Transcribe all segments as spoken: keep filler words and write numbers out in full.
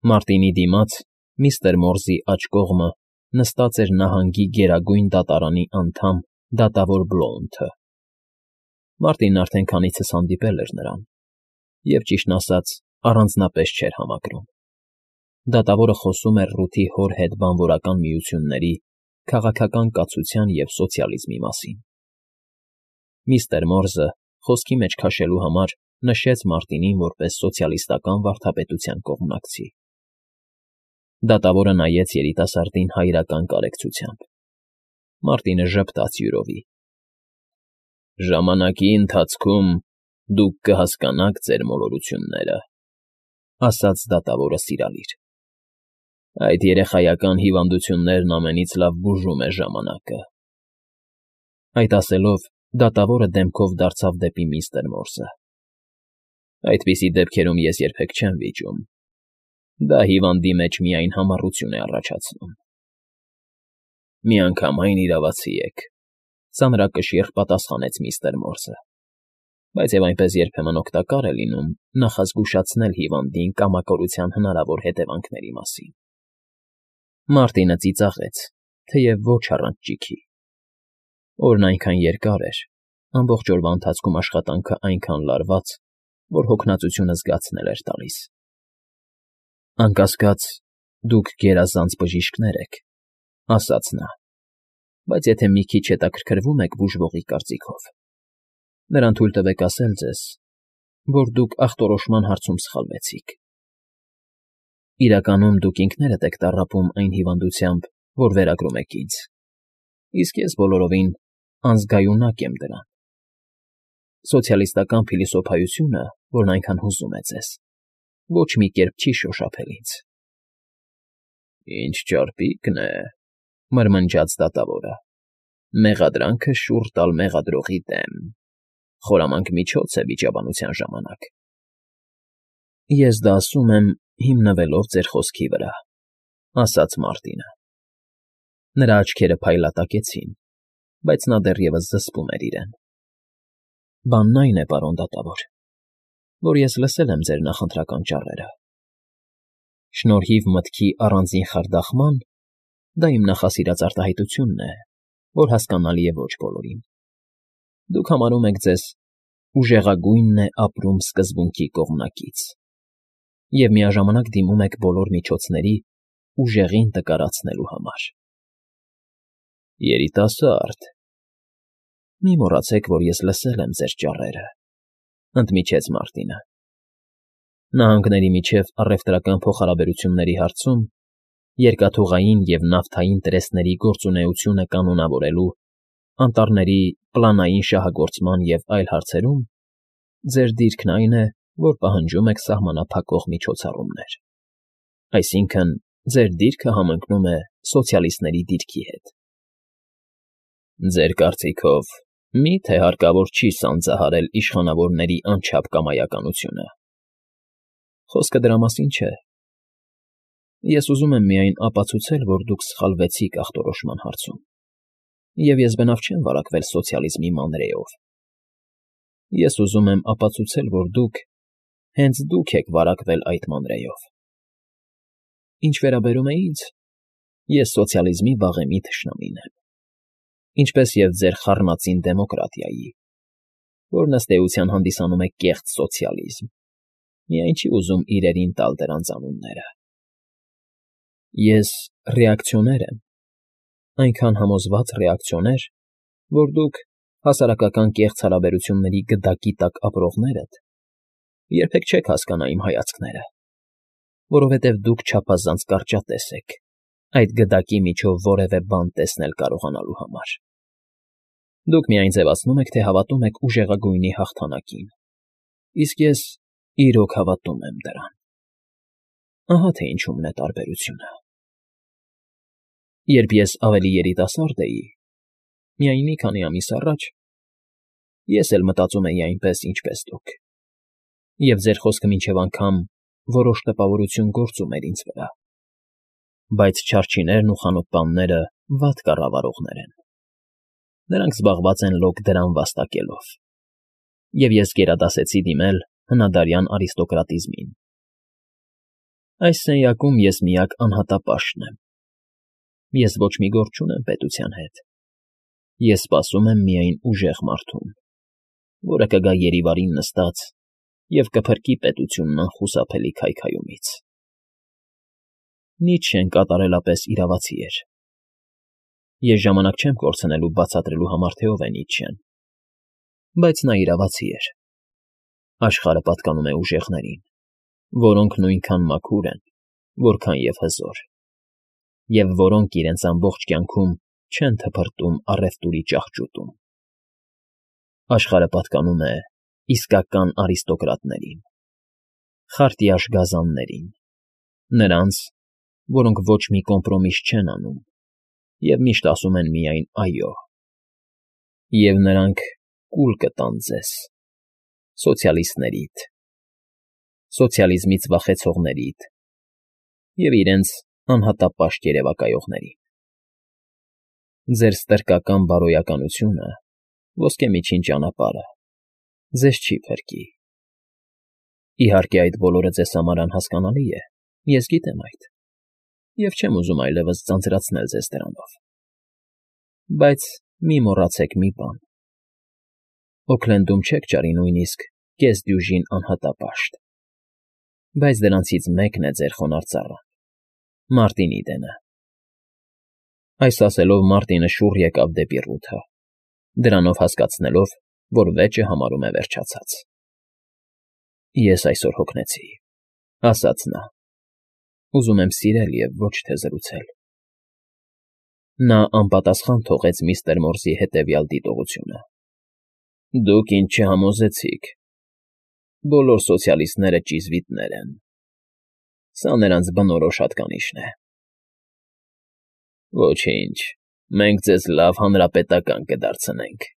Մարտինի դիմաց, միստր Մորզի աջ կողմը, նստած էր նահանգի Գերագույն Դատարանի անդամ դատավոր Բլոունթը. Մարտինն արդեն քանիցս հանդիպել էր նրան և, ճիշտն ասած, առանձնապես չէր համակրում. դատավորը խոսում էր Ռութի հոր հետ բանվորական միությունների, քաղաքական կացության և սոցիալիզմի մասին։ Միստր Մորզը, խոսքի մեջ քաշելու համար, նշեց Մարտինին որպես սոցիալիստական վարդապետության կողմնակցի։ Դատավորը նայեց երիտասարդին հայրական կարեկցությամբ։ Մարտինը ժպտաց յուրովի։ «Ժամանակի ընթացքում դուք կհասկանաք ձեր մոլորությունները», ասաց դատավորը սիրալիր։ «Այդ երեխայական հիվանդություններն ամենից լավ բուժում է ժամանակը»։ Այդ ասելով, դատավորը դեմքով դարձավ դեպի միստր Մորզը։ «Այդպիսի դեպքերում ես երբեք չեմ վիճում. դա հիվանդի մեջ միայն համառություն է առաջացնում»։ «Միանգամայն իրավացի եք», ծանրակշիռ պատասխանեց միստր Մորզը, «բայց և այնպես երբեմն օգտակար է լինում նախազգուշացնել հիվանդին կամակորության հնարավոր հետևանքների մասին»։ Մարտինը ծիծաղեց, թեև ոչ առանց ճիգի։ Օրն այնքան երկար էր, ամբողջ օրվա ընթացքում աշխատանքը այնքան լարված, որ հոգնածությունը զգացնել էր տալիս։ «Անկասկած, դուք գերազանց բժիշկներ եք», ասաց նա, «բայց եթե մի քիչ հետաքրքրվում եք բուժվողի կարծիքով, նրան թույլ տվեք ասել ձեզ, որ դուք ախտորոշման հարցում սխալվեցիք։ Իրականում դուք ինքներդ եք տառապում այն հիվանդությամբ, որ վերագրում եք ինձ, իսկ ես բոլորովին անզգայունակ եմ դրան։ Սոցիալիստական փիլիսոփայությունը, որն այնքան հուզում է ձեզ, ոչ մի կերպ չի շոշափել ինձ»։ «Ինչ ճարպիկն է», մրմնջաց դատավորը, «մեղադրանքը շուռ տալ մեղադրողի դեմ. խորամանկ միջոց է վիճաբանության ժամանակ»։ «Ես դա ասում եմ հիմնվելով ձեր խոսքի վրա», ասաց Մարտինը։ Նրա աչքերը փայլատակեցին, բայց նա դեռևս զսպում էր իրեն։ «Բանն այն է, պարոն դատավոր, որ ես լսել եմ ձեր նախընտրական ճառերը։ Շնորհիվ մտքի առանձին խարդախման (դա իմ նախասիրած արտահայտությունն է, որ հասկանալի է ոչ բոլորին) դուք համարում եք ձեզ «ուժեղագույնն է ապրում» սկզբունքի կողմնակից և միաժամանակ դիմում եք բոլոր միջոցների ուժեղին տկարացնելու համար»։ «Երիտասարդ, մի մոռացեք, որ ես լսել եմ ձեր ճառերը», ընդմիջեց Մարտինը։ Նահանգների միջև առևտրական փոխհարաբերությունների հարցում, երկաթուղային և նավթային տրեսների գործունեությունը կանոնավորելու, անտառների պլանային շահագործման և այլ հարցերում ձեր դիրքն այն է, որ պահանջում եք սահմանափակող միջոցառումներ, այսինքն՝ ձեր դիրքը համընկնում է սոցիալիստների դիրքի հետ։ «Ձեր կարծիքով մի՞թե հարկավոր չի սանձահարել իշխանավորների անչափ կամայականությունը»։ «Խոսքը դրա մասին չէ։ Ես ուզում եմ միայն ապացուցել, որ դուք սխալվեցիք ախտորոշման հարցում, և ես բնավ չեմ վարակվել սոցիալիզմի մանրեով։ Ես ուզում եմ ապացուցել, որ դուք, հենց դուք եք վարակվել այդ մանրեով։ Ինչ վերաբերում է ինձ, ես սոցիալիզմի վաղեմի թշնամին եմ, ինչպես և ձեր խառնածին դեմոկրատիայի, որն ըստ էության հանդիսանում է կեղծ սոցիալիզմ, միայն չի ուզում իրերին տալ դրանց անունները։ Ես ռեակցիոներ եմ, այնքան համոզված ռեակցիոներ, որ դուք, հասարակական կեղծ հարաբերությունների գդակի տակ ապրողներդ, երբեք չեք հասկանա իմ հայացքները, որովհետև դուք չափազանց կարճատես եք այդ գդակի միջով որևէ բան տեսնել կարողանալու համար։ Դուք միայն ձևացնում եք, թե հավատում եք ուժեղագույնի հաղթանակին, իսկ ես իրոք հավատում եմ դրան։ Ահա թե ինչումն է տարբերությունը։ Երբ ես ավելի երիտասարդ էի, միայն մի քանի ամիս առաջ, ես էլ մտածում էի այնպես, ինչպես դուք, և ձեր խոսքը մինչև անգամ որոշ տպավորություն գործում էր ինձ վրա։ Բայց չարչիներն ու խանութպանները վատ կառավարողներ են։ Նրանք զբաղված են լոկ դրամ վաստակելով, և ես գերադասեցի դիմել հնադարյան արիստոկրատիզմին։ Այս սենյակում ես միակ անհատապաշտն եմ, ես ոչ մի գործ չունեմ պետության հետ, ես սպասում եմ միայն ուժեղ մարդուն, որը կգա Երիվարին նստած և կփրկի պետությունն անխուսափելի քայքայումից։ Նիցշեն կատարելապես իրավացի էր։ Ես ժամանակ չեմ կորցնելու բացատրելու համար, թե ով է Նիցշեն, բայց նա իրավացի էր։ Աշխարհը պատկանում է ուժեղներին, որոնք նույնքան մաքուր են, որքան և հզոր, և որոնք իրենց ամբողջ կյանքում չեն թփրտում առևտուրի ճահճուտում։ Աշխարհը պատկանում է իսկական արիստոկրատներին, խարտյաշ գազաններին, նրանց, որոնք ոչ մի կոմպրոմիս չեն անում և միշտ ասում են միայն «այո», և նրանք կուլ կտան ձեզ, սոցիալիստներիդ, սոցիալիզմից վախեցողներիդ և իրենց անհատապաշտ երևակայողներին։ Ձեր ստրկական բարոյականությունը, ոսկե միջին ճանապարհը, ձեզ չի փրկի։ Իհարկե, այդ բոլորը ձեզ համար անհասկանալի է, ես գիտեմ այդ, և չեմ ուզում այլևս ձանձրացնել ձեզ դրանով։ Բայց մի մոռացեք մի բան. Օքլենդում չեք ճարի նույնիսկ կեսդյուժին անհատապաշտ, բայց դրանցից մեկն է ձեր խոնարհ ծառան, Մարտինի դենը։ Այս ասելով Մարտինը շուռ եկավ դեպի Ռութը, դրանով հասկացնելով, որ վեճը համարում է վերջացած։ Ես այսօր հոգնեցի, ասաց նա, ուզում եմ սիրել և ոչ թե զրուցել։ Նա անպատասխան թողեց միստր Մորզի հետևյալ դիտողությունը. Դուք ինձ չհամոզեցիք, բոլոր սոցիալիստները ճիզվիտներ են, սա նրանց բնորոշ հատկանիշն է։ Ոչինչ, մենք ձեզ լավ հանրապետական կդարձնենք,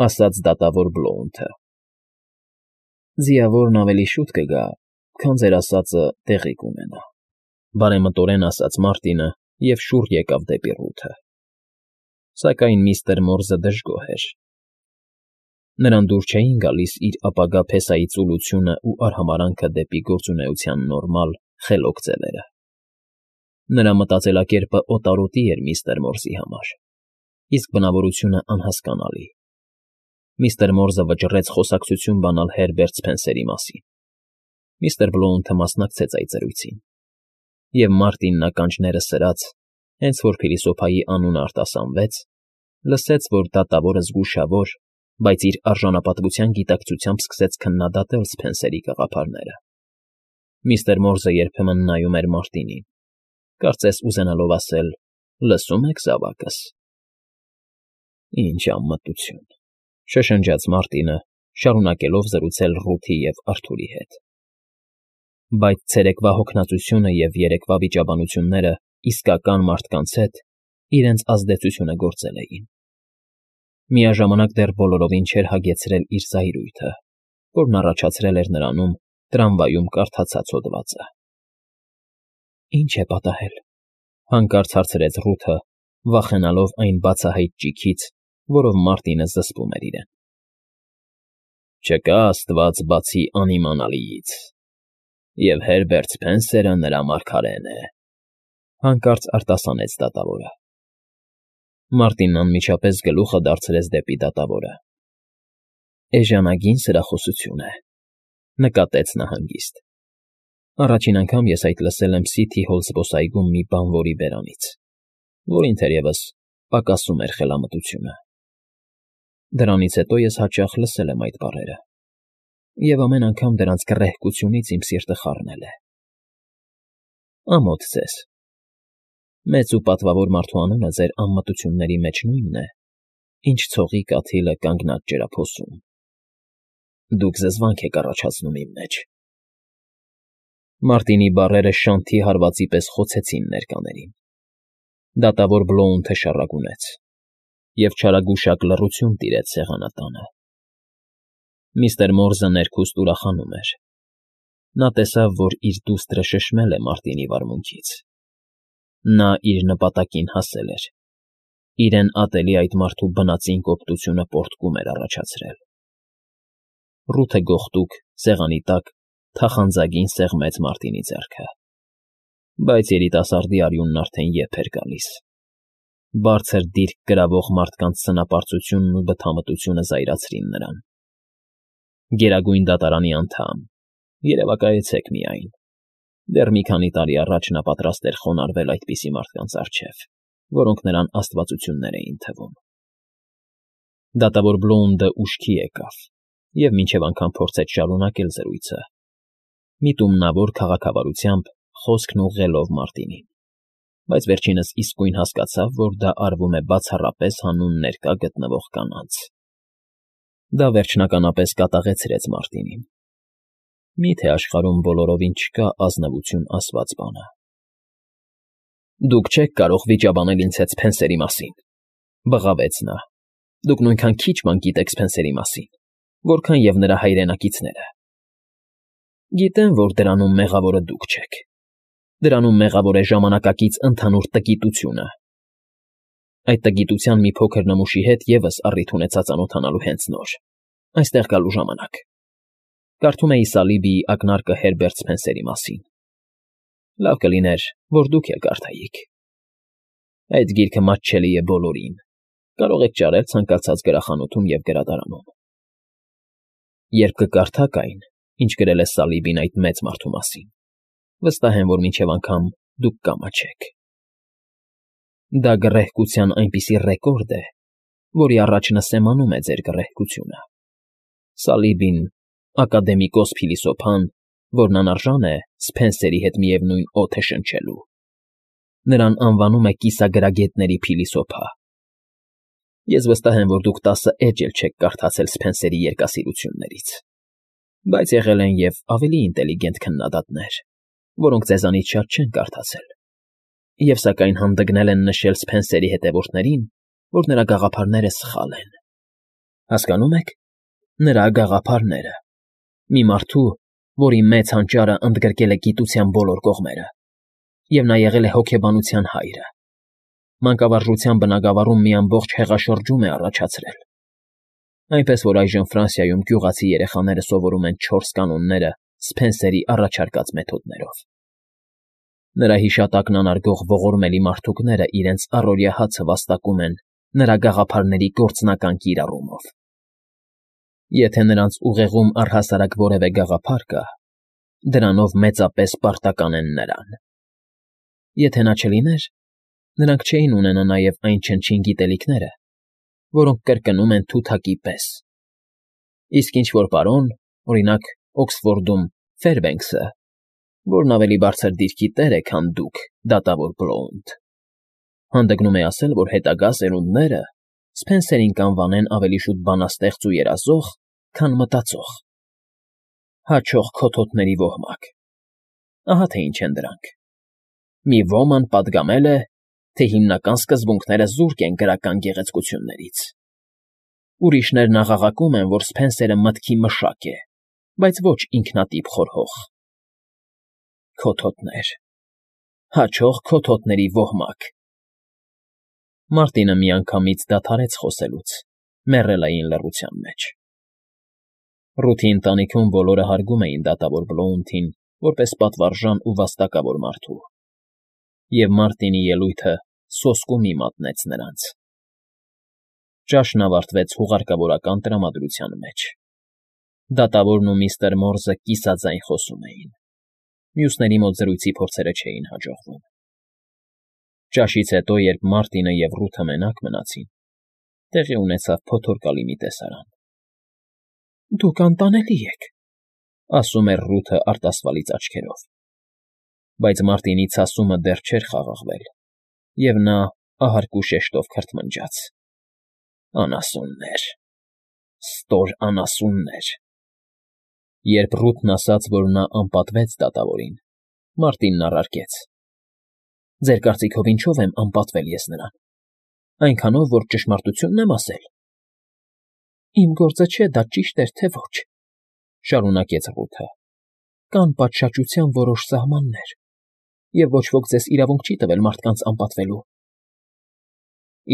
ասաց դատավոր Բլոունթը։ Ձիավորն ավելի շուտ կգա, քան ձեր ասածը տեղի կունենա, բարեմտորեն ասաց Մարտինը և շուռ եկավ դեպի Ռութը։ Սակայն միստր Մորզը դժգոհ էր։ Նրան դուր չէին գալիս իր ապագա փեսայի ծուլությունն ու արհամարհանքը դեպի գործունեության նորմալ, խելոք ձևերը։ Նրա մտածելակերպը օտարոտի էր միստր Մորզի համար, իսկ բնավորությունը անհասկանալի։ Միստր Մորզը վճռեց խոսակցություն բանալ Հերբերտ Սփենսերի մասին։ Միստր Բլոունթը մասնակցեց այդ զրույցին, և Մարտինն ականջները սրած, հենց որ փիլիսոփայի անունը արտասանվեց, լսեց, որ դատավորը զգուշավոր, բայց իր արժանապատվության գիտակցությամբ սկսեց քննադատել Սփենսերի գաղափարները։ Միստր Մորզը երբեմն նայում էր Մարտինին, կարծես ուզենալով ասել. «Լսո՞ւմ եք, զավակս»։ Ինչ անմտություն, շշնջաց Մարտինը, շարունակելով զրուցել Ռութի և Արթուրի հետ։ Բայց ցերեկվա հոգնածությունը և երեկվա վիճաբանությունները իսկական մարդկանց հետ իրենց ազդեցությունը գործել էին։ Միաժամանակ դեռ բոլորովին չէր հագեցրել իր զայրույթը, որն առաջացրել էր նրանում տրամվայում կարդացած հոդվածը։ Ի՞նչ է պատահել, հանկարծ հարցրեց Ռութը, վախենալով այն բացահայտ ճիգից, որով Մարտինը զսպում էր իրեն։ Չկա աստված բացի անիմանալիից, և Հերբերտ Սփենսերը նրա մարգարեն է, հանկարծ արտասանեց դատավորը։ Մարտինն անմիջապես գլուխը դարձրեց դեպի դատավորը։ Էժանագին սրախոսություն է, նկատեց նա հանգիստ։ Առաջին անգամ ես այդ լսել եմ Սիթի Հոլ զբոսայգում մի բանվորի բերանից, որին թերևս պակասում էր խելամտությունը։ Դրանից հետո ես հաճախ լսել եմ այդ բառերը, և ամեն անգամ դրանց գռեհկությունից իմ սիրտը խառնել է։ Ամոթ ձեզ։ Մեծ ու պատվավոր մարդու անունը ձեր անմտությունների մեջ նույնն է, ինչ ցողի կաթիլը կանգնած ջրափոսում։ Դուք զզվանք եք առաջացնում իմ մեջ։ Մարտինի բառերը շանթի հարվածի պես խոցեցին ներկաներին։ Դատավոր Բլոունթը շառագունեց, և չարագուշակ լռություն տիրեց սեղանատանը։ Միստր Մորզը ներքուստ ուրախանում էր։ Նա տեսավ, որ իր դուստրը շշմել է Մարտինի վարմունքից։ Նա իր նպատակին հասել էր։ Իրեն ատելի այդ մարդու բնածին կոպտությունը պոռթկում էր առաջացրել։ Ռութը գողտուկ, սեղանի տակ, թախանձագին սեղմեց Մարտինի ձեռքը։ Բայց երիտասարդի արյունն արդեն եփ էր գալիս։ Բարձր դիրք կրավող մարդկանց սնապարծությունն ու բթամտությունը զայրացրին նրան։ Գերագույն դատարանի անդամ, երևակայեցեք միայն։ Դեռ մի քանի տարի առաջ նա պատրաստ էր խոնարհվել այդպիսի մարդկանց առջև, որոնք նրան աստվածություններ էին թվում։ Դատավոր Բլոունդը ուշքի եկավ և մինչև անգամ փորձեց շարունակել զրույցը, միտումնավոր քաղաքավարությամբ խոսքն ուղղելով Մարտինին, բայց վերջինս իսկույն հասկացավ, որ դա արվում է բացառապես հանուն ներկա գտնվող կանանց։ Դա վերջնականապես կատաղեցրեց Մարտինին։ Մի՞թե աշխարհում բոլորովին չկա ազնվություն ասված բանը։ Դուք չեք կարող վիճաբանել ինձ հետ Սփենսերի մասին, բղավեց նա։ Դուք նույնքան քիչ բան գիտեք Սփենսերի մասին, որքան և նրա հայրենակիցները։ Գիտեմ, որ դրանում մեղավորը դուք չեք։ Դրանում մեղավոր է ժամանակակից ընդհանուր տգիտությունը։ Այդ տգիտության մի փոքր նմուշի հետ ևս առիթ ունեցա ծանոթանալու հենց նոր, այստեղ գալու ժամանակ։ Կարդում էի Սալիբիի ակնարկը Հերբերտ Սփենսերի մասին։ Լավ կլիներ, որ դուք էլ կարդայիք։ Այդ գիրքը մատչելի է բոլորին։ Կարող եք ճարել ցանկացած գրախանութում և գրադարանում։ Երբ կկարդաք այն, ինչ գրել է Սալիբին այդ մեծ մարդու մասին, վստահ եմ, որ մինչև անգամ դուք կամաչեք։ Դա գռեհկության այնպիսի ռեկորդ է, որի առաջ նսեմանում է ձեր գռեհկությունը։ Սալիբին, ակադեմիկոս փիլիսոփան, որն անարժան է Սփենսերի հետ միևնույն օդը շնչելու։ Նրան անվանում է կիսագրագետների փիլիսոփա։ Ես վստահ եմ, որ դուք տասը էջ էլ չեք կարդացել Սփենսերի երկասիրություններից, բայց եղել են և ավելի ինտելիգենտ քննադատներ, որոնք ձեզանից շատ չեն կարդացել, և սակայն հանդգնել են նշել Սփենսերի հետևորդներին, որ նրա գաղափարները սխալ են։ Հասկանո՞ւմ եք, նրա գաղափարները, մի մարդու, որի մեծ հանճարը ընդգրկել է գիտության բոլոր կողմերը, և նա եղել է հոգեբանության հայրը, մանկավարժության բնագավառում մի ամբողջ հեղաշրջում է առաջացրել, այնպես որ այժմ Ֆրանսիայում գյուղացի երեխաները սովորում են չորս կանոնները Սփենսերի առաջարկած մեթոդներով։ Նրա հիշատակն անարգող ողորմելի մարդուկները իրենց առօրյա հացը վաստակում են նրա գաղափարների գործնական կիրառումով։ Եթե նրանց ուղեղում առհասարակ որևէ գաղափար կա, դրանով մեծապես պարտական են նրան։ Եթե նա չլիներ, նրանք չէին ունենա նաև այն չնչին գիտելիքները, որոնք կրկնում են թութակի պես։ Իսկ ինչ-որ պարոն, օրինակ Օքսֆորդում Ֆերբենքսը, որն ավելի բարձր դիրքի տեր է, քան դուք, դատավոր Բլոունդ, հանդգնում է ասել, որ հետագա սերունդները Սփենսերին կանվանեն ավելի շուտ բանաստեղծ ու երազող, քան մտածող։ Հաճող քոթոթների ոհմակ։ Ահա թե ինչ են դրանք։ Մի ոման պատգամել է, թե հիմնական սկզբունքները զուրկ են գրական գեղեցկություններից։ Ուրիշներն աղաղակում են, որ Սփենսերը մտքի մշակ է, բայց ոչ ինքնատիպ խորհող։ Քոթոթներ, հաճող քոթոթների ոհմակ։ Մարտինը միանգամից դադարեց խոսելուց, մեռելային լռության մեջ։ Ռութի ընտանիքում բոլորը հարգում էին դատավոր Բլոունդին որպես պատվարժան ու վաստակավոր մարդու, և Մարտինի ելույթը սոսկումի մատնեց նրանց։ Ճաշն ավարտվեց հուղարկավորական տրամադրության մեջ։ Դատավորն ու միստր Մորզը կիսաձայն խոսում էին։ Մյուսների մոտ զրույցի փորձերը չէին հաջողվում։ Ճաշից հետո, երբ Մարտինը և Ռութը մենակ մնացին, տեղի ունեցավ փոթորկալի մի տեսարան։ Դուք անտանելի եք, ասում էր Ռութը արտասվալից աչքերով։ Բայց Մարտինի ցասումը դեռ չէր խաղաղվել, և նա ահարկու շեշտով քրթմնջաց. Անասուններ, ստոր անասուններ։ Երբ Ռութն ասաց, որ նա անպատվեց դատավորին, Մարտինն առարկեց. Ձեր կարծիքով ինչո՞վ եմ անպատվել ես նրան, այնքանով, որ ճշմարտությունն եմ ասել։ Իմ գործը չէ, դա ճիշտ էր, թե ոչ, շարունակեց Ռութը։ Կան պատշաճության որոշ սահմաններ, և ոչ ոք ձեզ իրավունք չի տվել մարդկանց անպատվելու։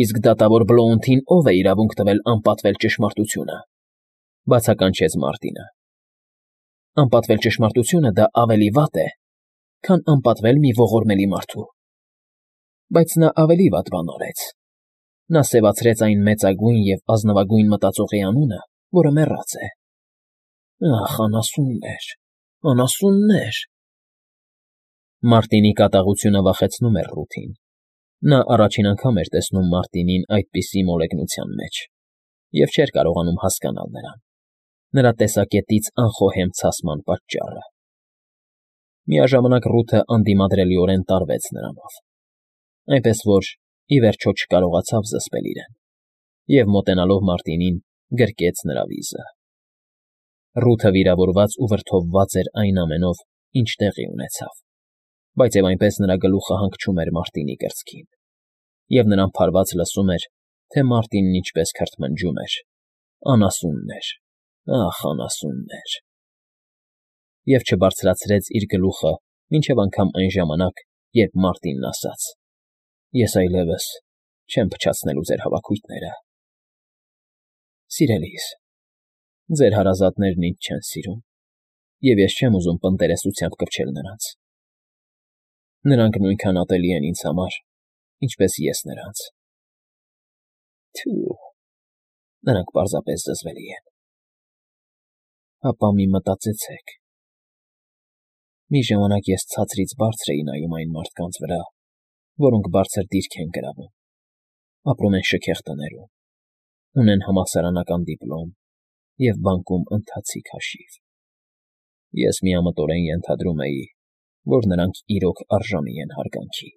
Իսկ դատավոր Բլոունդին ո՞վ է իրավունք տվել անպատվել ճշմարտությունը, բացականչեց Մարտինը։ Անպատվել ճշմարտությունը դա ավելի վատ է, քան անպատվել մի ողորմելի մարդու։ Բայց նա ավելի վատ բան արեց. նա սևացրեց այն մեծագույն և ազնվագույն մտածողի անունը, որը մեռած է։ Ախ, անասուններ, անասուններ… Մարտինի կատաղությունը վախեցնում էր Ռութին. նա առաջին անգամ էր տեսնում Մարտինին այդպիսի մոլեգնության մեջ և չէր կարողանում հասկանալ նրան, նրա տեսակետից անխոհեմ ցասման պատճառը։ Միաժամանակ Ռութը անդիմադրելիորեն տարվեց նրանով, այնպես որ, ի վերջո, չկարողացավ զսպել իրեն և, մոտենալով Մարտինին, գրկեց նրա վիզը։ Ռութը վիրավորված ու վրդովված էր այն ամենով, ինչ տեղի ունեցավ, բայց և այնպես նրա գլուխը հանգչում էր Մարտինի կրծքին, և նրան փարված լսում էր, թե Մարտինն ինչպես քրթմնջում էր. «Անասուններ, ախ, անասուններ…» և չբարձրացրեց իր գլուխը մինչև անգամ այն ժամանակ, երբ Մարտինն ասաց. «Ես այլևս չեմ փչացնելու ձեր հավաքույթները… Սիրելիս, ձեր հարազատներն ինձ չեն սիրում, և ես չեմ ուզում պընտերեսությամբ կպչել նրանց… Նրանք նույնքան ատելի են ինձ համար, ինչպես ես նրանց… Թյո՛ւ… Նրանք պարզապես զզվելի են… Հապա մի մտածեցեք… Մի ժամանակ ես ցածրից բարձր էի նայում այն մարդկանց վրա, որոնք բարձր դիրք են գրավում, ապրում են շքեղ տներում, ունեն համալսարանական դիպլոմ և բանկում ընթացիկ հաշիվ… Ես միամտորեն ենթադրում էի, որ նրանք իրոք արժանի են հարգանքի։